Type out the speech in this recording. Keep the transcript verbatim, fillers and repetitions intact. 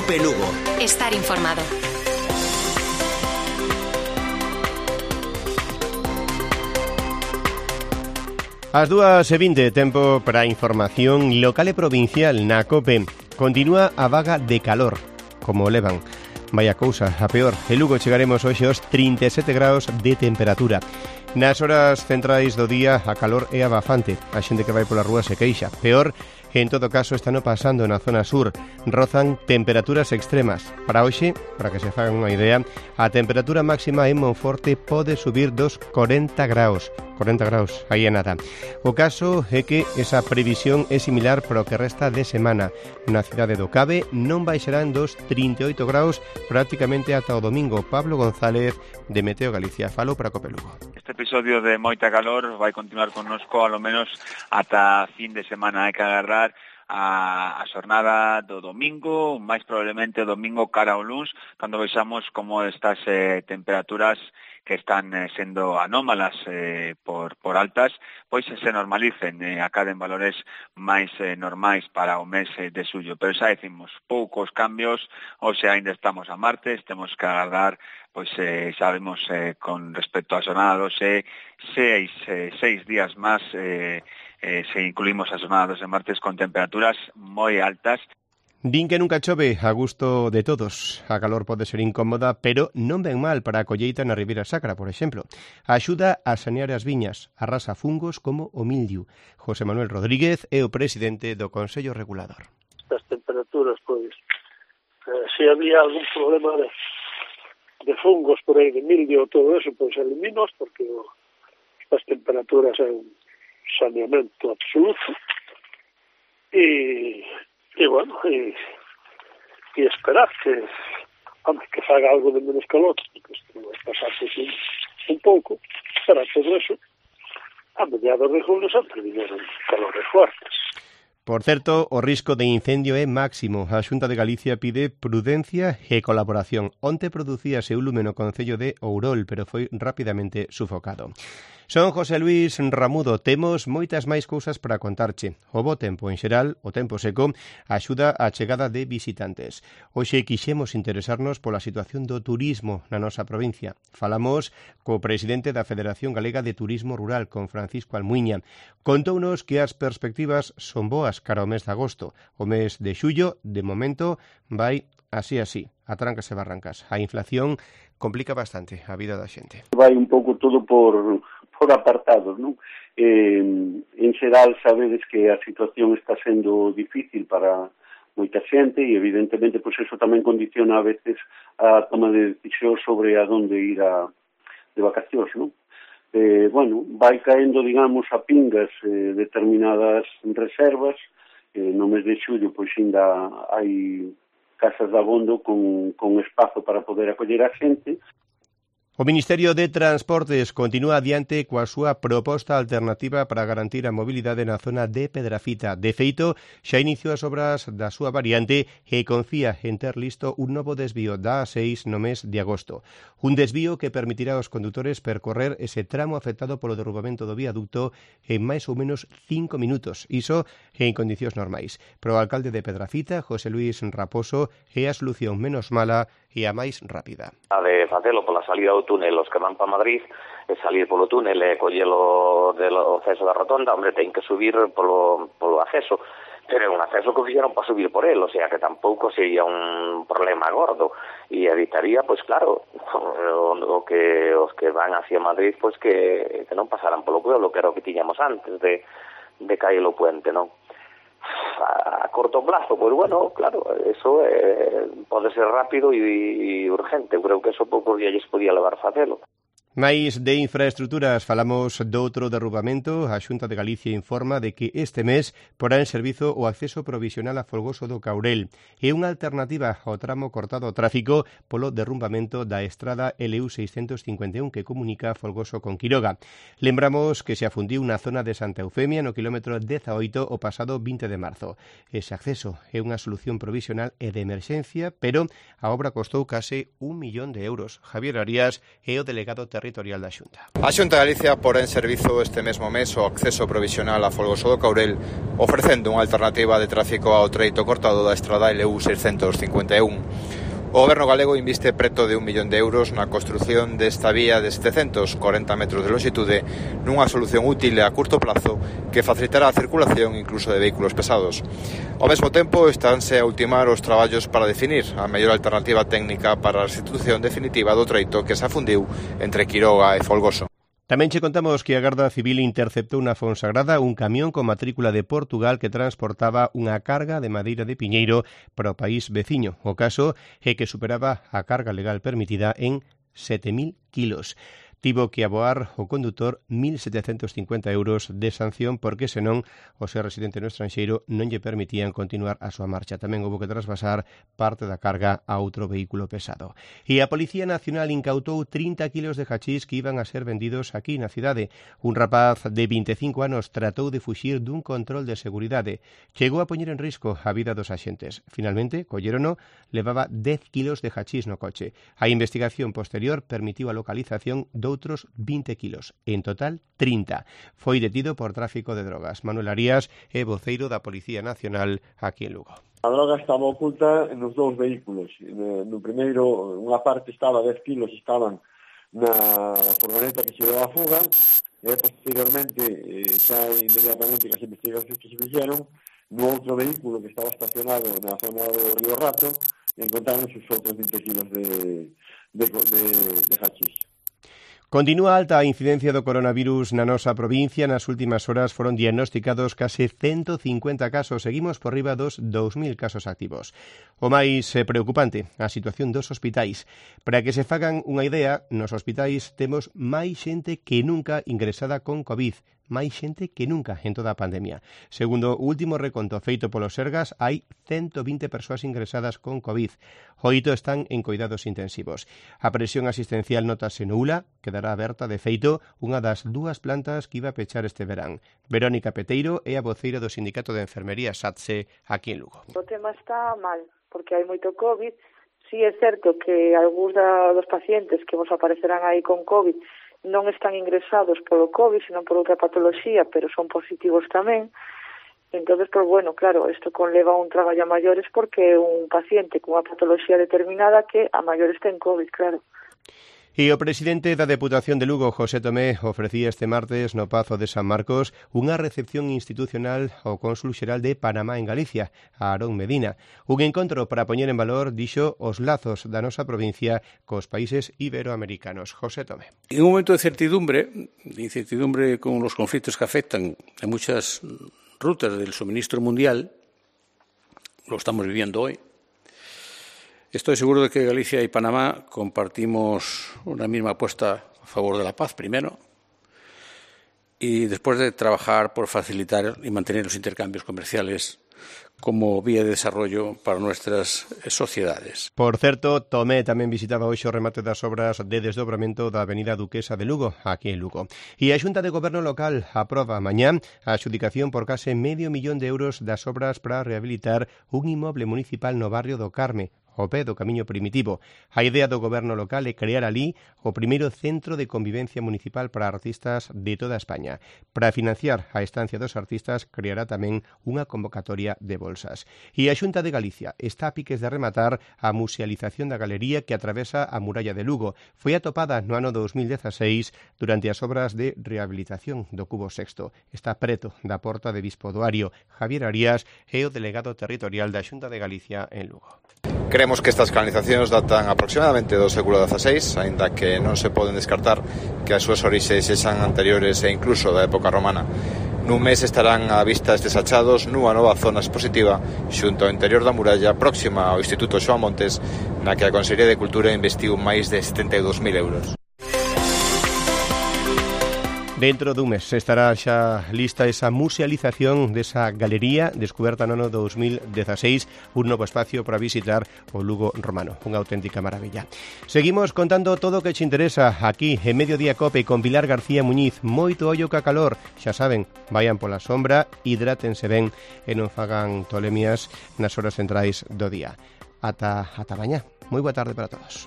Cope Lugo. Estar informado. As dúas e vinte, tempo para a información local e provincial na Cope. Continúa a vaga de calor, como levan. Vaya cousa, a peor. En Lugo chegaremos hoxe aos trinta e sete graus de temperatura. Nas horas centrais do día a calor é abafante. A xente que vai pola rúa se queixa. Peor, en todo caso, están pasando na zona sur. Rozan temperaturas extremas. Para hoxe, para que se fagan unha idea, a temperatura máxima en Monforte pode subir dos corenta graus. corenta graus, aí é nada. O caso é que esa previsión é similar para o que resta de semana. Na cidade do Cabe non baixarán dos trinta e oito graus prácticamente ata o domingo. Pablo González, de Meteo Galicia, falo para Cope Lugo. Este episodio de moita calor vai continuar connosco ao menos ata fin de semana. Hai que agarrar a, a xornada do domingo, máis probablemente o domingo cara ao luns, cando vexamos como estas eh, temperaturas que están eh, sendo anómalas eh, por, por altas, pois se normalicen, eh, acaden valores máis eh, normais para o mes eh, de xullo. Pero xa decimos, poucos cambios, ou se ainda estamos a martes, temos que agardar, pois eh, xa vemos eh, con respecto a xornada doce, seis, eh, seis días máis, eh, eh, se incluímos a xornada doce martes con temperaturas moi altas. Din que nunca chove a gusto de todos. A calor pode ser incómoda, pero non ven mal para a colleita na Ribeira Sacra, por exemplo. Axuda a sanear as viñas, arrasa fungos como o mildiu. José Manuel Rodríguez é o presidente do Consello Regulador. Estas temperaturas, pois, eh, se había algún problema de, de fungos por aí, de mildiu ou todo eso, pois eliminos, porque o, estas temperaturas é un saneamento absoluto. E... E, bueno, e, e esperar que, hombre, que faga algo de menos calor, porque isto vai pasar un, un pouco, para todo eso, a mediados de julio sempre viñeron calores fuertes. Por certo, o risco de incendio é máximo. A Xunta de Galicia pide prudencia e colaboración. Onte producíase un lume no concello de Ourol, pero foi rapidamente sufocado. Son José Luis Ramudo, temos moitas máis cousas para contarche. O bo tempo, en xeral, o tempo seco, axuda á chegada de visitantes. Hoxe quixemos interesarnos pola situación do turismo na nosa provincia. Falamos co presidente da Federación Galega de Turismo Rural, con Francisco Almuiña. Contounos que as perspectivas son boas cara ao mes de agosto. O mes de xullo, de momento, vai así así, a trancas e barrancas. A inflación complica bastante a vida da xente. Vai un pouco todo por... por apartados, non? Eh, en xeral, sabedes que a situación está sendo difícil para moita xente e, evidentemente, pois eso tamén condiciona a veces a toma de decisión sobre a donde ir a, de vacacións, non? Eh, bueno, vai caendo, digamos, a pingas eh, determinadas reservas. Eh, no mes de xullo, pois, ainda hai casas de abondo con, con espazo para poder acoller a xente. O Ministerio de Transportes continúa adiante coa súa proposta alternativa para garantir a mobilidade na zona de Pedrafita. De feito, xa iniciou as obras da súa variante e confía en ter listo un novo desvío da A seis no mes de agosto. Un desvío que permitirá aos condutores percorrer ese tramo afectado polo derrubamento do viaducto en máis ou menos cinco minutos. Iso en condicións normais. Pero o alcalde de Pedrafita, José Luis Raposo, é a solución menos mala e a máis rápida. A de facelo pola salida do túnel, os que van para Madrid, e salir polo túnel e collelo do acceso da rotonda, hombre, ten que subir polo, polo acceso, pero é un acceso que fixeron para subir por el, o sea que tampouco sería un problema gordo, e evitaría, pois claro, o, o que os que van hacia Madrid, pois que, que non pasaran polo pueblo, que era o que tiñamos antes de, de caer o puente, non? A corto plazo, pois bueno, claro, eso eh, pode ser rápido e, e urgente. Eu creo que eso poucos días podía levar facelo. Mais de infraestructuras falamos doutro derrubamento. A Xunta de Galicia informa de que este mes porá en servizo o acceso provisional a Folgoso do Caurel. É unha alternativa ao tramo cortado ao tráfico polo derrumbamento da estrada L U seiscentos cincuenta e un que comunica Folgoso con Quiroga. Lembramos que se afundiu na zona de Santa Eufemia no quilómetro dezaoito o pasado vinte de marzo. Ese acceso é unha solución provisional e de emerxencia, pero a obra costou case un millón de euros. Javier Arias é o delegado territorial territorial da Xunta. A Xunta de Galicia porá en servizo este mesmo mes o acceso provisional a Folgoso do Caurel, ofrecendo unha alternativa de tráfico ao treito cortado da estrada L U seiscentos cincuenta e un. O Goberno galego inviste preto de un millón de euros na construción desta vía de setecentos corenta metros de longitude nunha solución útil a curto plazo que facilitará a circulación incluso de vehículos pesados. Ao mesmo tempo, estánse a ultimar os traballos para definir a mellor alternativa técnica para a restitución definitiva do treito que se afundiu entre Quiroga e Folgoso. Tamén che contamos que a Garda Civil interceptou na Fonsagrada un camión con matrícula de Portugal que transportaba unha carga de madeira de piñeiro para o país veciño. O caso é que superaba a carga legal permitida en sete mil kilos. Tivo que aboar o condutor mil setecentos cincuenta euros de sanción porque senón o ser residente no estranxeiro non lle permitían continuar a súa marcha. Tamén houve que trasvasar parte da carga a outro vehículo pesado. E a Policía Nacional incautou trinta kilos de hachís que iban a ser vendidos aquí na cidade. Un rapaz de vinte e cinco anos tratou de fuxir dun control de seguridade. Chegou a poñer en risco a vida dos axentes. Finalmente, collérono, levaba dez kilos de hachís no coche. A investigación posterior permitiu a localización do outros vinte kilos, en total trinta. Foi detido por tráfico de drogas. Manuel Arías é voceiro da Policía Nacional aquí en Lugo. A droga estaba oculta nos dous vehículos. No primeiro, unha parte estaba, dez kilos estaban na furgoneta que se deu a fuga, e posteriormente, xa inmediatamente que as investigacións que se fixeron, no outro vehículo que estaba estacionado na zona do Río Rato, encontraron os outros vinte kilos de, de, de, de hachís. Continúa alta a incidencia do coronavirus na nosa provincia. Nas últimas horas foron diagnosticados case ciento cincuenta casos. Seguimos por riba dos dous mil casos activos. O máis preocupante, a situación dos hospitais. Para que se fagan unha idea, nos hospitais temos máis xente que nunca ingresada con COVID. Máis xente que nunca en toda a pandemia. Segundo o último reconto feito polo Sergas, hai ciento vinte persoas ingresadas con COVID. Oito están en coidados intensivos. A presión asistencial notase nula, quedará aberta de feito unha das dúas plantas que iba a pechar este verán. Verónica Peteiro é a voceira do Sindicato de Enfermería SATSE aquí en Lugo. O tema está mal, porque hai moito COVID. Sí é certo que algúns dos pacientes que vos aparecerán aí con COVID non están ingresados polo COVID, senón por outra patoloxía, pero son positivos tamén. Entonces, pues bueno, claro, isto conleva un traballo a maiores porque un paciente cunha patoloxía determinada que a maiores ten COVID, claro. E o presidente da Deputación de Lugo, José Tomé, ofrecía este martes no Pazo de San Marcos unha recepción institucional ao cónsul xeral de Panamá en Galicia, a Aarón Medina. Un encontro para poñer en valor, dixo, os lazos da nosa provincia cos países iberoamericanos. José Tomé. En un momento de incertidumbre, de incertidumbre con los conflictos que afectan a muchas rutas del suministro mundial, lo estamos viviendo hoy. Estoy seguro de que Galicia y Panamá compartimos una misma apuesta a favor de la paz, primero, y después de trabajar por facilitar y mantener los intercambios comerciales como vía de desarrollo para nuestras sociedades. Por certo, Tomé tamén visitaba hoxe o remate das obras de desdobramento da Avenida Duquesa de Lugo, aquí en Lugo. E a Xunta de Goberno Local aproba mañá a adxudicación por case medio millón de euros das obras para rehabilitar un inmoble municipal no barrio do Carme, ao pé do Camiño Primitivo. A idea do goberno local é crear ali o primeiro centro de convivencia municipal para artistas de toda España. Para financiar a estancia dos artistas, creará tamén unha convocatoria de bolsas. E a Xunta de Galicia está a piques de rematar a musealización da galería que atravesa a muralla de Lugo. Foi atopada no ano dos mil dezaseis durante as obras de rehabilitación do Cubo Sexto. Está preto da porta de Bispo do Ario. Javier Arías é o delegado territorial da Xunta de Galicia en Lugo. Creemos que estas canalizacións datan aproximadamente do século dezaseis, aínda que non se poden descartar que as súas orixes sexan anteriores e incluso da época romana. Nun mes estarán á vista estes achados nunha nova zona expositiva xunto ao interior da muralla próxima ao Instituto Xoán Montes, na que a Consellería de Cultura investiu máis de setenta e dous mil euros. Dentro dun mes estará xa lista esa musealización desa galería descuberta no ano dos mil dezaseis, un novo espacio para visitar o Lugo romano, unha auténtica maravilla. Seguimos contando todo o que te interesa aquí en Mediodía Cope con Pilar García Muñiz. Moito ollo ca calor, xa saben, vayan pola sombra, hidrátense ben e non fagan tolemias nas horas centrais do día. Ata, ata mañá. Moi boa tarde para todos.